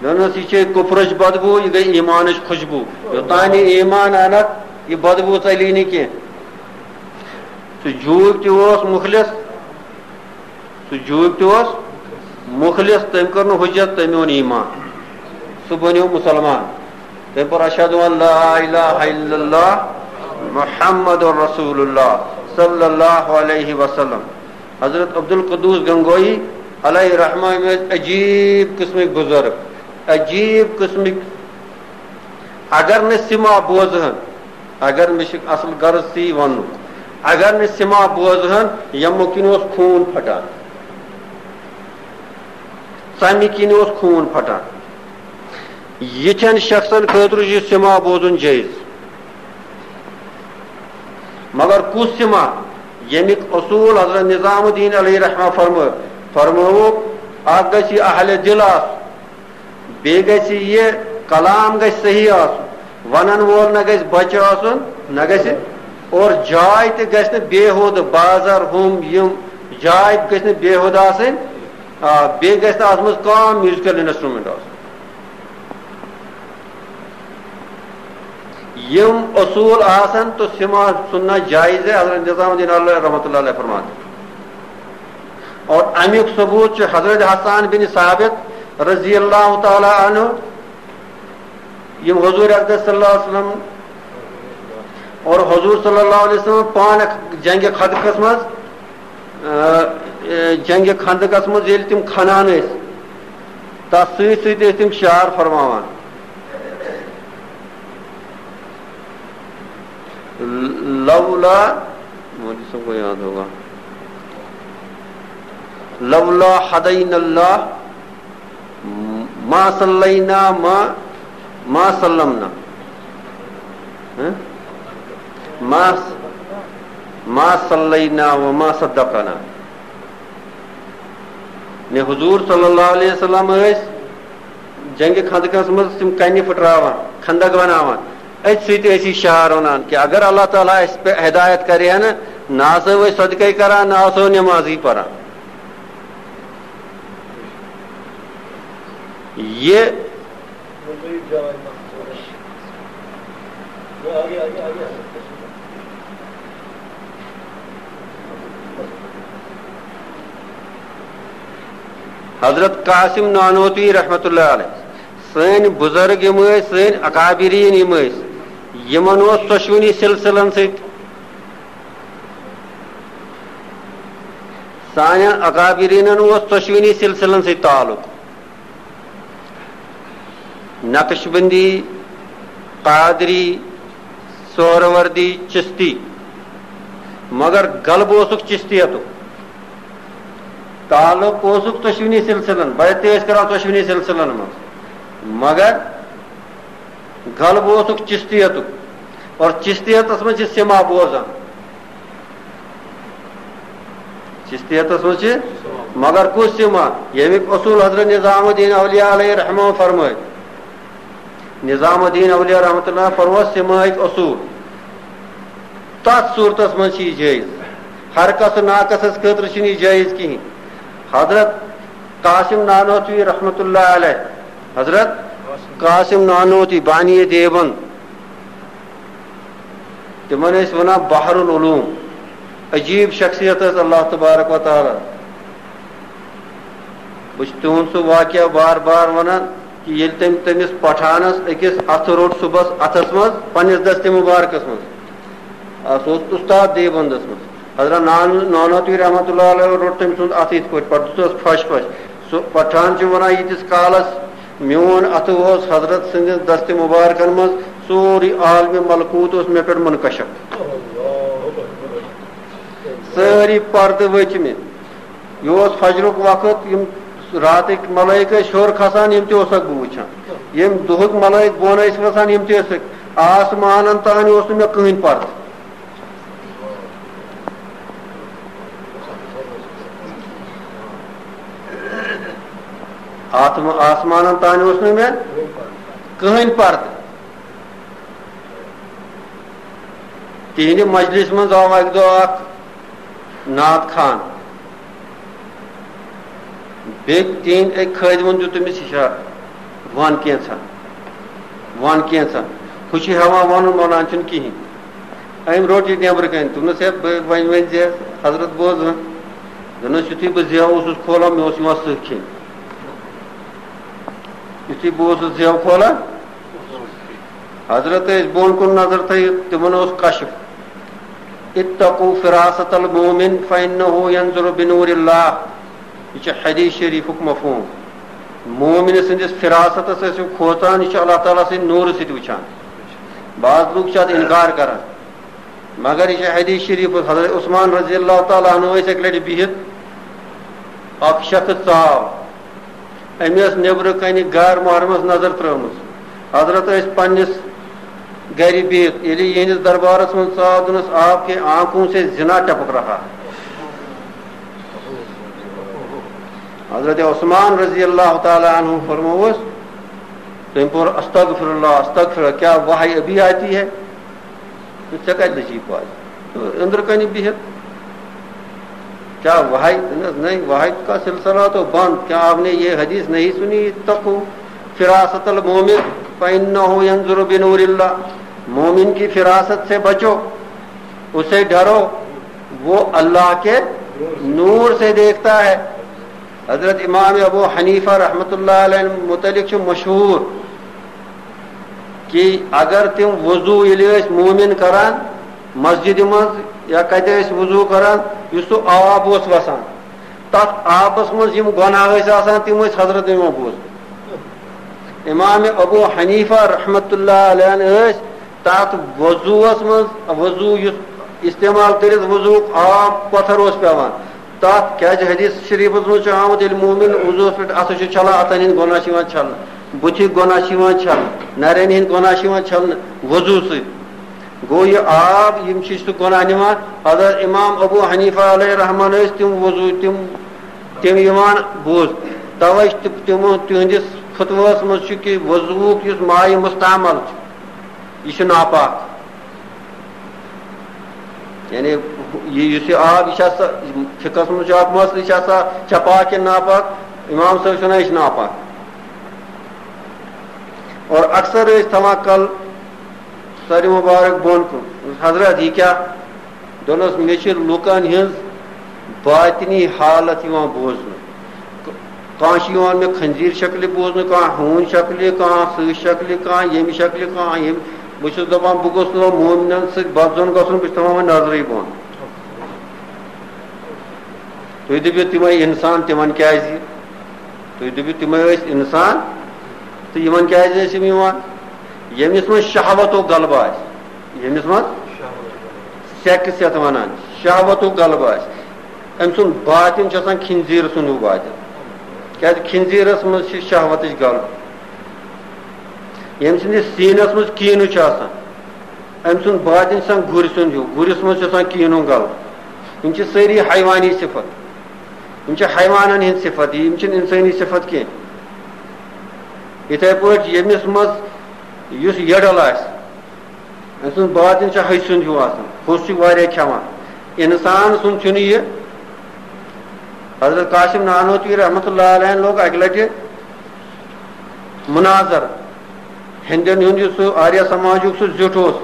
دوٚپنَس، "یہِ چھے کُفرٕچ بدبو، یہِ گٔے ایٖمانٕچ خوشبو۔ یوٚتام نہٕ ایٖمان اَنَکھ، یہِ بدبو ژَلی نہٕ کینٛہہ۔" سُہ جوٗک تہِ اوس مُخلص، سُہ جوٗک تہِ اوس مُخلص، تٔمۍ کٔر نہٕ حُجت، تٔمۍ اوٚن ایٖمان، سُہ بنیو مُسلمان۔ تٔمۍ پوٚر، "اشہد ان لا الہ الا اللہ محمد رسول اللہ صلی اللہ علیہ وسلم۔" حضرت عبدالقدوس گنگوئی علیہ رحمہ، یِم ٲسۍ عجیٖب قٕسمٕکۍ بُزرگ، عجیٖب قٕسمٕکۍ۔ اگر نہٕ سِما بوزہن، اگر، مےٚ چھُ اصل غرض تی وننُک، اگر نہٕ سِما بوزہن، یِمو کِنۍ اوس خوٗن پھٹان، ژمہِ کِنۍ اوس خوٗن پھٹان۔ یِتھٮ۪ن شخصن خٲطرٕ چھُ سِما بوزُن جٲیِز۔ مگر کُس سِما؟ ییٚمیُک اصوٗل حضرت نظام الدین علیہ رحمہ فرمٲو، فرمٲوُکھ، اکھ گژھِ یہِ اہلِ دِل آسُن، بیٚیہِ گژھِ یہِ کلام گژھِ صحیح آسُن، ونن وول نہ گژھِ بچہِ آسُن، نہ گژھِ، اور جاے تہِ گژھِ نہٕ بیہودٕ، بازر ہُم یِم جاے تہِ گژھِ نہٕ بیہودٕ آسٕنۍ، آ، بیٚیہِ گژھِ نہٕ اتھ منٛز کانٛہہ میوٗزیکل انسٹرومنٹ آسُن۔ یِم اصوٗل آسن تہٕ سِما سُننا جایز ہے، حضرت نظام الدین علیہ رحمۃ اللہ علیہ فرماتے۔ اور امیُک ثبوت چھُ حضرت حسان بن ثابت رضی اللہ تعالیٰ عنہ، یِم حضور اقدس صلی اللہ علیہ وسلم اور حضور صلی اللہ علیہ وسلم پانہٕ جنگِ خندقس منٛز، آ، آ، جنگِ خندقس منٛز ییٚلہِ تِم کھنان ٲسۍ، تَتھ سۭتۍ سۭتۍ ٲسۍ تِم شعر فرماوان۔ لولا، مولوی صاحب کو یاد ہوگا، لولا ہدین اللہ ما صلینا ما، ما سلمنا۔ ہاں؟ ما، ما صلینا و ما صدقنا۔ نے حضور صلی اللہ علیہ وسلم ٲسۍ جنگِ خندقس منٛز تِم کنہِ پھٕٹراوان، خندق بناوان۔ أتھۍ سۭتۍ ٲسۍ یہِ شعر ونان کہ اگر اللہ تعالیٰ اَسہِ پٮ۪ٹھ ہدایت کرِ ہا نہٕ، نہ آسو أسۍ صدقے کران، نہ آسو نمازٕے پران۔ یہِ حضرت قاسم نانوتوی رحمت اللہ علیہ، سٲنۍ بُزرگ یِم ٲسۍ، سٲنۍ اکابرین یِم ٲسۍ، یِمن اوس ژۄشوٕنی سلسلن سۭتۍ، سانٮ۪ن اکابرینن اوس ژۄشوٕنی سلسلن سۭتۍ تعلق۔ نقشبندی، قادری، سہروردی، چشتی، مگر غلبہٕ اوسُکھ چشتیتُک۔ تعلق اوسُکھ ژۄشوٕنی سلسلن، بیعت تہِ ٲسۍ کران ژۄشوٕنی سلسلن منٛز، مگر غلبہٕ اوسُکھ چشتیتُک۔ اور چشتیتس منٛز چھِ سِما بوزان۔ چشتیتس منٛز چھِ، مگر کُس سِما؟ ییٚمیُک اصوٗل حضرت نظام الدین اولیاء علیہ رحمہ فرمٲے۔ نظام الدین اولیاء رحمۃ اللہ فرموو سِماہٕکۍ اصوٗل۔ تتھ صوٗرتس منٛز چھِ یہِ جٲیز۔ ہر کس ناقصس خٲطرٕ چھُنہٕ یہِ جٲیز کِہیٖنۍ۔ حضرت قاسم نانوتوی رحمۃ اللہ علیہ، حضرت قاسم نانوتوی بانی دیوبند، تِمن ٲسۍ ونان بحر العلوم، عجیب شخصیت ٲس اللہ تبارک و تعالیٰ۔ بہٕ چھُس تِہُنٛد سُہ واقعہ بار بار ونان کہ ییٚلہِ تٔمۍ تٔمِس پٹھانس أکِس اتھٕ روٚٹ صُبحس اتھس منٛز پننِس دستِ مبارکس منٛز، آ، سُہ اوس استاد دیوبندس منٛز، حضرت نان-، نانوتوی رحمۃ اللہ علیہ روٚٹ تٔمۍ سُنٛد اتھٕ یِتھ پٲٹھۍ، پتہٕ دِژٕس پھش پھش۔ سُہ پٹھان چھُ وَنان، ییٖتِس کالَس میون اَتھٕ اوس حضرت سٕنٛدِس دستِ مُبارکَن منٛز، سورُے عالمِ ملکوٗت اوس مےٚ پٮ۪ٹھ منکشف۔ سٲری پردٕ ؤتھۍ مےٚ۔ یہِ اوس فجرُک وقت، یِم راتٕکۍ ملٲیِک ٲسۍ ہیوٚر کھسان، یِم تہِ اوسَکھ بہٕ وٕچھان۔ یِم دُہٕکۍ ملٲیِک بۄن ٲسۍ وَسان، یِم تہِ ٲسٕکھ۔ آسمانَن تام اوس نہٕ مےٚ کٕہٕنۍ پردٕ۔ آتم-، آسمانن تام اوس نہٕ مےٚ کٕہٕنۍ پردٕ۔ تِہنٛدِ مجلس منٛز آو اکہِ دۄہ اکھ نعت خوان۔ بیٚیہِ تِہنٛدۍ أکۍ خٲدمن دیُت تٔمِس اِشارٕ، "وَن کینٛژھا، وَن کینٛژھا۔" ہُہ چھُ ہٮ۪وان وَنُن، وَنان چھُنہٕ کِہیٖنۍ۔ أمۍ روٚٹ یہِ نیٚبرٕ کَنہِ، دوٚپنَس، "ہے، بہٕ وۄنۍ وۄنۍ زِ حضرت بوز وۄنۍ۔" دوٚپنَس، "یُتھُے بہٕ زٮ۪و اوسُس کھولان، مےٚ اوس یِوان سٕہہ کھیٚنۍ۔" یُتھُے بہٕ اوسُس زٮ۪و کھولان، حضرت ٲسۍ بۄن کُن نظر تھٲیِتھ، تِمَن اوس کشف۔ "اتقوا فراست المؤمن فإنه ينظر بنور الله۔" یہِ چھُ حدیث شریفُک مفہوم۔ مومن سٕنٛدِس فراستس ٲسِو کھوژان، یہِ چھُ اللہ تعالیٰ سٕنٛدِ نوٗرٕ سۭتۍ وٕچھان۔ بعض لوٗکھ چھِ اتھ انکار کران، مگر یہِ چھُ حدیث شریف۔ حضرت عثمان رضی اللہ تعالیٰ عنہ ٲسۍ اکہِ لٹہِ بِہِتھ، اکھ شخص ژاو، أمۍ ٲس نیٚبرٕ کنہِ غیر محرمس نظر ترٲومٕژ۔ حضرت ٲسۍ پننِس گرِ بِہِتھ، ییٚلہِ یِہنٛدِس دربارس منٛز ژاو، دوٚپنس، "آپ کے آنکھوں سے زنا ٹپک رہا ہے۔" حضرت عثمان رضی اللہ تعالیٰ عنہ فرمووُس، تٔمۍ پوٚر، "استغفر اللہ، استغفر اللہ، کیا وحی ابھی آتی ہے؟ ژےٚ کتہِ لٔجی پاے؟ أنٛدرٕ کنہِ بِہِتھ کیا وحی؟" دوٚپنس، "نہیں، وحی کا سلسلہ تو بند، کیا آپ نے یہ حدیث نہیں سنی؟ اتقوا فراست المؤمن فإنه ينظر بنور اللہ۔" مومن کی فراست سے بچو، اسے ڈرو، وہ اللہ کے نور سے دیکھتا ہے۔ حضرت امام ابو حنیفہ رحمۃ اللہ علیہ متعلق چھُ مشہوٗر کہِ اگر تِم وضوٗ ییٚلہِ ٲسۍ مومن کران مسجدِ منٛز یا کتہِ ٲسۍ وضوٗ کران، یُس سُہ آب اوس وسان، تتھ آبس منٛز یِم گۄناہ ٲسۍ آسان، تِم ٲسۍ حضرت یِمو بوٗزمٕتۍ۔ امام ابو حنیفہ رحمۃ اللہ علیہ ٲسۍ تتھ وضوٗوس منٛز، وضوٗ یُس استعمال کٔرِتھ وضوٗک آب پتھر اوس پٮ۪وان، تتھ کیازِ حدیث شریفس منٛز چھُ آمُت، ییٚلہِ مومن وضوٗوس پٮ۪ٹھ اَتھٕ چھُ چھلان، اتھن ہٕنٛدۍ گۄناہ چھِ یِوان چھلنہٕ، بُتھِکۍ گۄناہ چھِ یِوان چھلنہٕ، نرٮ۪ن ہٕنٛدۍ گۄناہ چھِ یِوان چھلنہٕ وضوٗ سۭتۍ۔ گوٚو، یہِ آب، یِم چھِ سُہ گۄناہ نِوان۔ حضرت امام ابو حنیفہ علیہ رحمان ٲسۍ تِم وضوٗ، تِم، تِم یِوان بوٗز۔ توے چھِ تِم، تِمو، تِہنٛدِس فتویٰ ہس منٛز چھُ کہِ وضوٗک یُس مائے مستعمل چھُ، یہِ چھُ ناپاک۔ یعنی، یہِ، یُس یہِ آب، یہِ چھا سا، فقہس منٛز چھُ اکھ مسلہٕ، یہِ چھا سا، چھا پاک کِنہٕ ناپاک؟ امام صٲب چھُ ونان، یہِ چھُ ناپاک۔ اور اکثر ٲسۍ تھاوان کل سرِ مبارک بۄن کُن۔ حضرت، یہِ کیٛاہ؟ دوٚپنس، مےٚ چھِ لُکن ہٕنٛز باطنی حالت یِوان بوزنہٕ۔ کانٛہہ چھُ یِوان مےٚ خنزیر شکلہِ بوزنہٕ، کانٛہہ ہوٗنۍ شکلہِ، کانٛہہ سٕہہ شکلہِ، کانٛہہ ییٚمہِ شکلہِ، کانٛہہ ییٚمہِ۔ بہٕ چھُس دپان، بہٕ گوٚژھ نہٕ وۄنۍ مومنن سۭتۍ بد ظن گژھُن، بہٕ چھُس تھاوان وۄنۍ نظرٕے بۄن۔ تُہۍ دٔپِو، تِمے انسان، تِمن کیازِ؟ تُہۍ دٔپِو، تِمے ٲسۍ انسان، تہٕ یِمن کیازِ ٲسۍ یِم یِوان؟ ییٚمِس منٛز شہوتُک غلبہٕ آسہِ، ییٚمِس منٛز سیکس یتھ ونان، شہوتُک غلبہٕ آسہِ، أمۍ سُنٛد باطن چھُ آسان خنزیر سُنٛد ہیوٗ باطن۔ کیازِ خنزیرس منٛز چھِ شہوتٕچ غلبہٕ۔ ییٚمۍ سٕنٛدِس سیٖنس منٛز کیٖنہٕ چھُ آسان، أمۍ سُنٛد باطن چھُ آسان گُرۍ سُنٛد ہیوٗ، گُرِس منٛز چھُ آسان کیٖنہٕ غلبہٕ۔ یِم چھِ سٲری حیوانی صفت۔ یِم چھِ حیوانن ہٕنٛدۍ صفت، یِم چھِنہٕ انسٲنی صفت کینٛہہ۔ یِتھے پٲٹھۍ ییٚمِس منٛز یُس یٔڈل آسہِ، أمۍ سُنٛد باطن چھُ ۂژۍ سُنٛد ہیوٗ آسان، ہوٚژھ چھُ واریاہ کھٮ۪وان۔ انسان سُنٛد چھُنہٕ یہِ۔ حضرت قاسم نانوتوی رحمتہ اللہ علیہ لوگ اکہِ لٹہِ مناظر، ہندین ہُنٛد یُس سُہ آریہ سماجُک سُہ زیُٹھ اوس،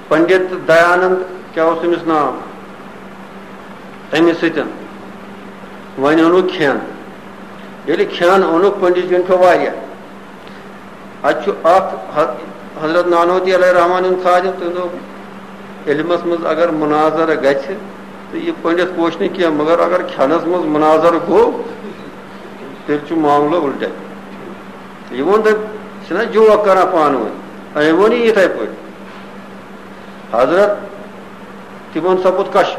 پنڈت دیانند، کیٛاہ اوس تٔمِس ناو؟ تٔمِس سۭتۍ وۄنۍ اوٚنُکھ کھٮ۪ن۔ ییٚلہِ کھٮ۪ن اوٚنُکھ، پنڈت جی یَن کھیوٚو واریاہ۔ اَتہِ چھُ اکھ ح-، حضرت نانوتی علیہ رحمان ہُنٛد خادم، تٔمۍ دوٚپ، علمس منٛز اگر مناظرٕ گژھِ، تہٕ یہِ پٔنڈِتھ پوش نہٕ کینٛہہ، مگر اگر کھٮ۪نس منٛز مناظر گوٚو، تیٚلہِ چھُ معاملہٕ اُلٹے۔ یہِ ووٚن تٔمۍ، چھِنہ جوک کران پانہٕ ؤنۍ، أمۍ ووٚن یہِ یِتھے پٲٹھۍ۔ حضرت تِمن سپُد کشف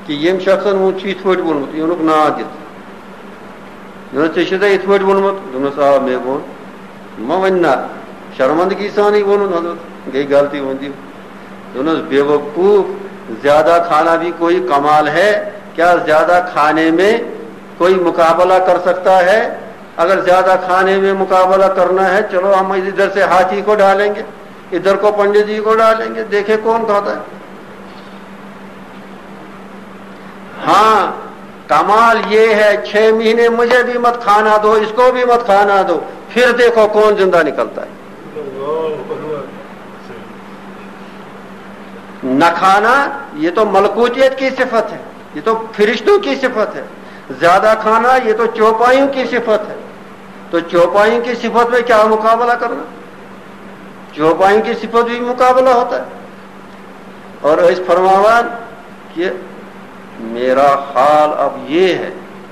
کہِ ییٚمۍ شخصن ووٚن چھُ یِتھ پٲٹھۍ ووٚنمُت، یہِ ووٚنُکھ ناو دِتھ۔ دوٚپنس، "ژےٚ چھُے ژےٚ یِتھ پٲٹھۍ ووٚنمُت؟" دوٚپنس، "آ، مےٚ ووٚن۔" مہ وَنہِ نہ، شرمندگی سانٕے ووٚنُن حضرت، گٔے غلطی، ووٚن تٔمۍ۔ دوٚپنس، "بے وقوف، زیادہ کھانا بھی کوئی کمال ہے؟ کیا زیادہ کھانے میں کوئی مقابلہ کر سکتا ہے؟ اگر زیادہ کھانے میں مقابلہ کرنا ہے، چلو ہم ادھر سے ہاتھی کو ڈالیں گے، ادھر کو پنڈت جی کو ڈالیں گے، دیکھیں کون کھاتا ہے۔" ہاں، کمال یہ ہے، چھ مہینے مجھے بھی مت کھانا دو، اس کو بھی مت کھانا دو، پھر دیکھو کون زندہ نکلتا ہے۔ نہ کھانا، یہ تو ملکوتیت کی صفت ہے، یہ تو فرشتوں کی صفت ہے۔ زیادہ کھانا، یہ تو چوپائیوں کی صفت ہے۔ تو چوپائیوں کی صفت میں کیا مقابلہ کرنا؟ چوپائیوں کی صفت بھی مقابلہ ہوتا ہے۔ اور اس فرماوان کہ میرا حال اب یہ ہے،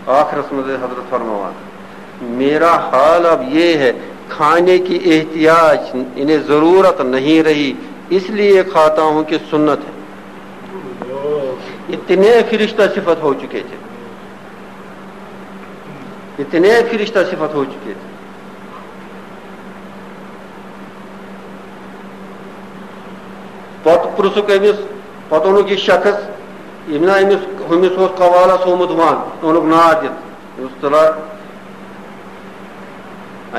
آخرس منٛز حضرت فرماوان، میرا حال اب یہ ہے، کھانے کی احتیاج، یعنی ضرورت نہیں رہی، اس لیے کھاتا ہوں کہ سنت ہے۔ اتنے فرشتہ صفت ہو چکے تھے، اتنے فرشتہ صفت ہو چکے تھے۔ پتہٕ پرٛژھُکھ أمِس، پتہٕ اوٚنُکھ یہِ شخص، ییٚمۍ نا أمِس، ہُمِس اوس قوالس ہومُت ون، اوٚنُکھ نار دِتھ۔ دوٚپُس، "تُلا،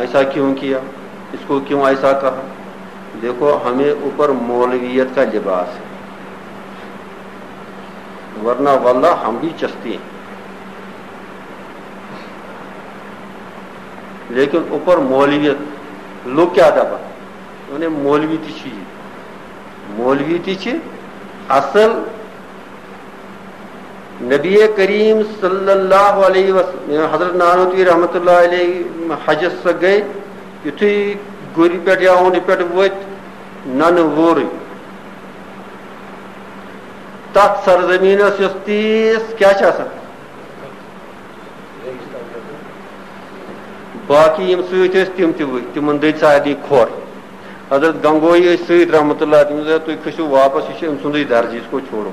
ایسا کیوں کیا؟ اس کو کیوں ایسا کہا؟ دیکھو، ہمیں اوپر مولویت کا لباس ہے، ورنہ واللہ ہم بھی چشتی ہیں، لیکن اوپر مولویت۔" لوگ کیا دپان؟ یعنی مولوی تہِ چھِ یہِ۔ مولوی تہِ چھِ اصل۔ نبی کریم صلی اللہ علیہ وسلم، حضرت نانوتوی رحمت اللہ علیہ حجس سۭتۍ گٔے، یُتھُے گُرِ پٮ۪ٹھ یا اونٹہِ پٮ۪ٹھ ؤتھۍ، ننہٕ وورٕے۔ تتھ سرزمینس یۄس تیٖژ کیٛاہ چھِ آسان؟ باقی یِم سۭتۍ ٲسۍ، تِم تہِ ؤتھۍ، تِمن دٔدۍ سارنٕے کھۄر۔ حضرت گنگوہی ٲسۍ سۭتۍ رحمت اللہ، تِم ٲسۍ، "تُہۍ کھٔسِو واپس، یہِ چھُ أمۍ سُنٛدُے درجہٕ، اس کو چھوڑو۔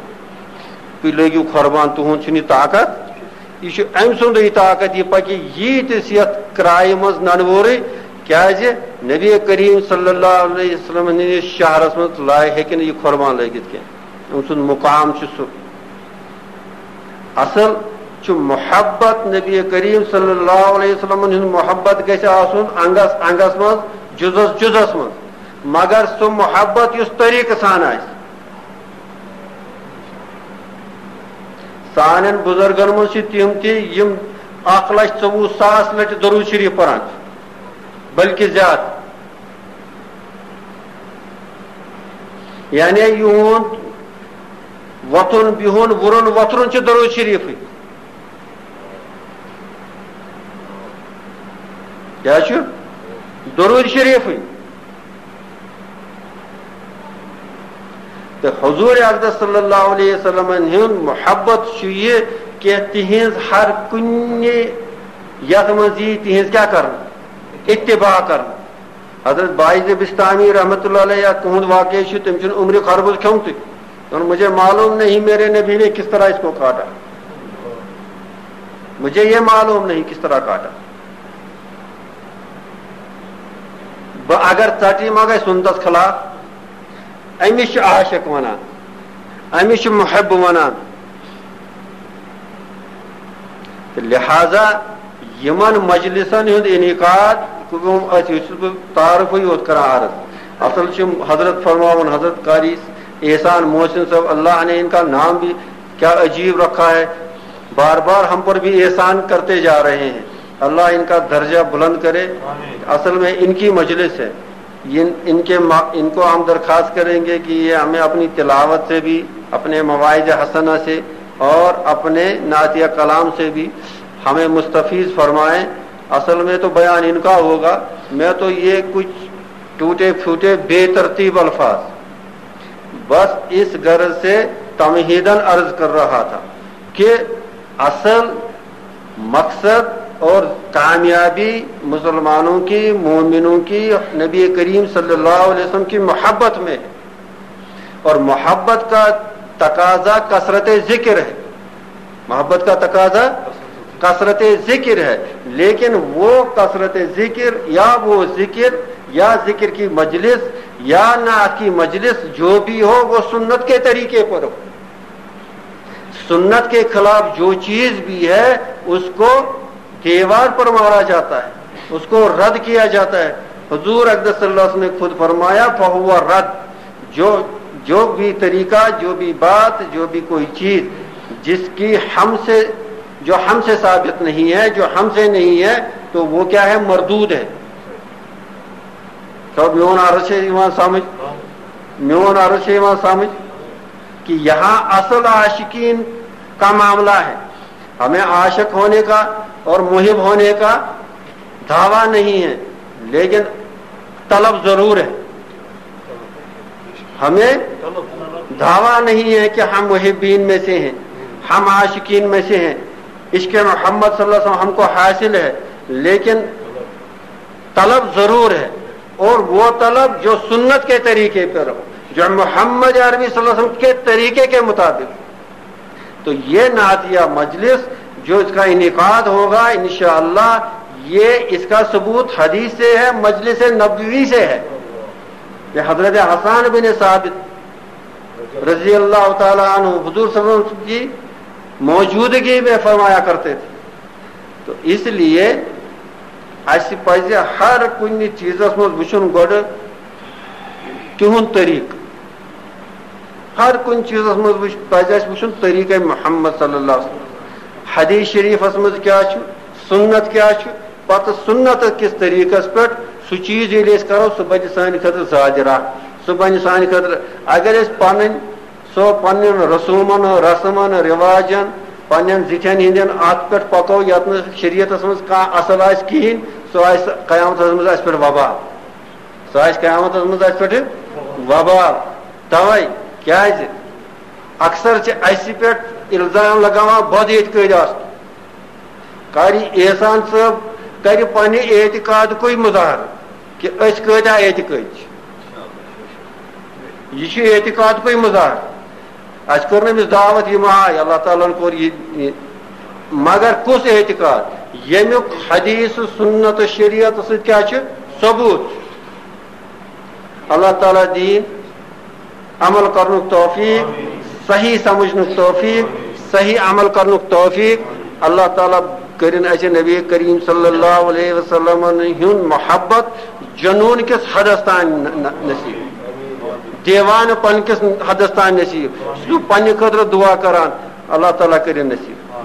تُہۍ لٲگِو قربان، تُہُنٛد چھُنہٕ یہِ طاقت، یہِ چھُ أمۍ سُنٛدُے طاقت، یہِ پکہِ ییٖتِس یتھ کرایہِ منٛز ننہٕ وورٕے، کیازِ نبی کریم صلی اللہ علیہ وسلم ہٕنٛدِس شہرس منٛز لا-، ہیٚکہِ نہٕ یہِ قربان لٲگِتھ کینٛہہ، أمۍ سُنٛد مقام چھُ سُہ۔" اصل چھُ محبت، نبی کریم صلی اللہ علیہ وسلم ہُنٛد محبت گژھِ آسُن انگس انگس منٛز، جُزس جُزس منٛز، مگر سُہ محبت یُس طریقہٕ سان آسہِ۔ سانٮ۪ن بزرگن منٛز چھِ تِم تہِ یِم اکھ لچھ ژوٚوُہ ساس لٹہِ درود شریف پران چھِ، بلکہِ زیادٕ۔ یعنی یِہُنٛد وۄتھُن بِہُن وُرُن وۄتھرُن چھُ درود شریفٕے۔ کیٛاہ چھُ؟ درود شریفٕے۔ تہٕ حضور اقدس صلی اللہ علیہ وسلمن ہُنٛد محبت چھُ یہِ کہِ تِہنٛز ہر کُنہِ یتھ منٛز یی تِہنٛز کیٛاہ کرنہٕ؟ اتباع کرنہٕ۔ حضرت باعث بستانی رحمت اللہ علیہ، تہنٛد واقعہ چھُ، تٔمۍ چھُنہٕ عمرِ خربز کھیومتُے۔ اور مجھے معلوم نہیں میرے نبی نے کس طرح اس کو کاٹا، مجھے یہ معلوم نہیں کس طرح کاٹا۔ بہٕ اگر ژٹہٕ، یہِ ما گژھِ سُنتس خلاف؟ أمِس چھُ عاشق ونان، أمِس چھُ محب ونان۔ تہٕ لہذا یِمن مجلسن ہُنٛد انعقاد، أسۍ، یہِ چھُس بہٕ تعارفٕے یوت کران عرض۔ اصل چھِ حضرت فرماوان، حضرت قاری احسان محسن صاحب، اللہ نے ان کا نام بھی کیا عجیب رکھا ہے، بار بار ہم پر بھی احسان کرتے جا رہے ہیں، اللہ ان کا درجہ بلند کرے۔ اصل میں ان کی مجلس ہے۔ ان، ان کے ما-، ان کو ہم درخواست کریں گے کہ یہ ہمیں اپنی تلاوت سے بھی، اپنے مواعظ حسنہ سے اور اپنے نعتیہ کلام سے بھی ہمیں مستفیض فرمائیں۔ اصل میں تو بیان ان کا ہوگا، میں تو یہ کچھ ٹوٹے پھوٹے بے ترتیب الفاظ، بس اس غرض سے تمہیداً عرض کر رہا تھا کہ اصل مقصد اور کامیابی مسلمانوں کی، مومنوں کی، نبی کریم صلی اللہ علیہ وسلم کی محبت میں ہے۔ اور محبت کا تقاضا کثرت ذکر ہے۔ محبت کا تقاضا کثرت ذکر ہے، لیکن وہ کثرت ذکر یا وہ ذکر یا ذکر کی مجلس یا نعت کی مجلس جو بھی ہو، وہ سنت کے طریقے پر ہو۔ سنت کے خلاف جو چیز بھی ہے، اس کو دیوار پر مارا جاتا ہے، اس کو رد کیا جاتا ہے۔ حضور اقدس صلی اللہ علیہ وسلم نے خود فرمایا، "فہو رد"۔ جو جو بھی طریقہ، جو بھی بات، جو بھی کوئی چیز جس کی ہم سے جو ہم سے ثابت نہیں ہے، جو ہم سے نہیں ہے، تو وہ کیا ہے؟ مردود ہے۔ تو میون عرض ہے ایمان سمجھ، میون عرض ہے ایمان سمجھ کہ یہاں اصل عاشقین کا معاملہ ہے۔ ہمیں عاشق ہونے کا اور محب ہونے کا دعویٰ نہیں ہے، لیکن طلب ضرور ہے۔ ہمیں دعویٰ نہیں ہے کہ ہم محبین میں سے ہیں، ہم عاشقین میں سے ہیں، عشق محمد صلی اللہ علیہ وسلم ہم کو حاصل ہے، لیکن طلب ضرور ہے، اور وہ طلب جو سنت کے طریقے پر ہو، جو محمد عربی صلی اللہ علیہ وسلم کے طریقے کے مطابق۔ تو یہ نعتیہ مجلس جو اس کا انعقاد ہوگا، انشاءاللہ، یہ اس کا ثبوت حدیث سے ہے، مجلس نبوی سے ہے۔ یہ حضرت حسان بن ثابت رضی اللہ تعالیٰ عنہ حضور صلی اللہ علیہ وسلم کی موجودگی میں فرمایا کرتے تھے۔ تو اس لیے اَسہِ پَزِ ہر کُنہِ چیٖزَس منٛز وٕچھُن گۄڈٕ تِہُنٛد طریٖقہٕ۔ ہر کُنہِ چیٖزَس منٛز وٕچھ-، پَزِ اَسہِ وٕچھُن طریٖقَے محمد صلی اللہ علیہ وسلم۔ حدیث شریٖفَس منٛز کیٛاہ چھُ، سُنت کیٛاہ چھُ، پَتہٕ سُنتہٕ کِس طریٖقَس پٮ۪ٹھ سُہ چیٖز ییٚلہِ أسۍ کَرو، سُہ بَنہِ سانہِ خٲطرٕ زیادٕ راہ، سُہ بَنہِ سانہِ خٲطرٕ۔ اگر أسۍ پَنٕنۍ سو پننٮ۪ن رسومن، رسمن، رواجن، پننٮ۪ن زِٹھٮ۪ن ہٕنٛدٮ۪ن اَتھ پٮ۪ٹھ پَکو، یَتھ نہٕ شریعتس منٛز کانٛہہ اصل آسہِ کِہیٖنۍ، سُہ آسہِ قیامتس منٛز اَسہِ پٮ۪ٹھ وبال۔ سُہ آسہِ قیامتس منٛز اَسہِ پٮ۪ٹھ وبال۔ تَوَے کیٛازِ اکثر چھِ اَسہِ پٮ۪ٹھ الزام لگاوان بد اعتقٲدۍ آسنُک۔ قاری احسان صٲب کرِ پننہِ اعتقادکُے مظاہرٕ کہِ أسۍ کۭتیٛاہ اعتقٲدۍ چھِ۔ یہِ چھُ اعتقادکُے مظاہرٕ۔ اَسہِ کوٚر نہٕ أمِس دعوت، یہِ ما آیہِ، اللہ تعالیٰ ہن کوٚر یہِ، یہِ۔ مگر کُس اعتقاد؟ ییٚمیُک حدیث، سنت، شریعت سۭتۍ کیٛاہ چھُ؟ ثبوت۔ اللہ تعالیٰ دِیِن عمل کرنُک توفیق، صحیح سمجھنُک توفیق، صحیح عمل کرنُک توفیق۔ اللہ تعالیٰ کٔرِن اَسہِ نبی کریم صلی اللہ علیہ وسلم ہُنٛد محبت جنون کِس حدس تام ن-، ن-، نصیب، دیوانہٕ پن کِس حدس تام نصیب۔ سُہ پننہِ خٲطرٕ دعا کران، اللہ تعالیٰ کٔرِن نصیب۔